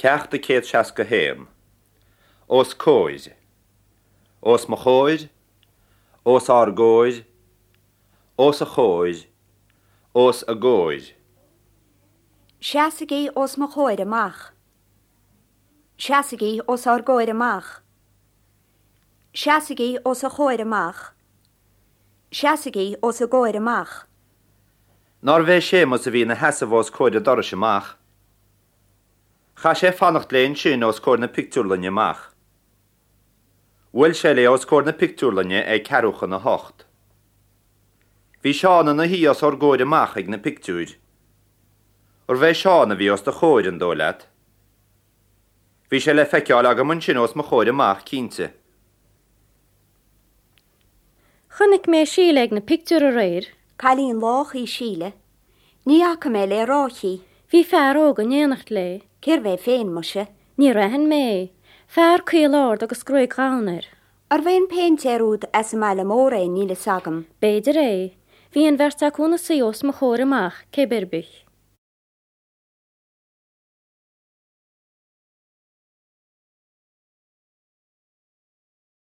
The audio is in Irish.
Ceacht 161. Os comhair. Os mo chomhair. Os ár gcomhair. Os a chomhair. Os a gcomhair. Seasaigí os mo chomhair amach. Seasaigí os ár gcomhair amach. Seasaigí os a chomhair amach. Seasaigí os a gcomhair amach. Nárbh é Séamus a bhí ina sheasamh os comhair an dorais amach? Chaith sé fanacht léi ansin os comhair na pictiúrlainne amach. Bhuail sé léi os comhair na pictiúrlainne ag ceathrú chun a hocht. Bhí Seán ina shuí os ár gcomhair amach ag na pictiúir. Arbh é Seán a bhí os do chomhair, an dóigh leat? Bhí sé le feiceáil agam ansin os mo chomhair amach, cinnte. Chonaic mé Síle ag na pictiúir aréir. Cailín lách í Síle. Ní fhaca mé le ráithe í. Bhí fear óg in éineacht léi. Cérbh é féin, muise? Níor aithin mé é. Fear caol ard agus gruaig dhonn air. Arbh é an péintéir úd as an mbaile mór é, níl fhios agam. B'fhéidir é. Bhí an bheirt acu ina suí os mo chomhair amach, cé ar bith.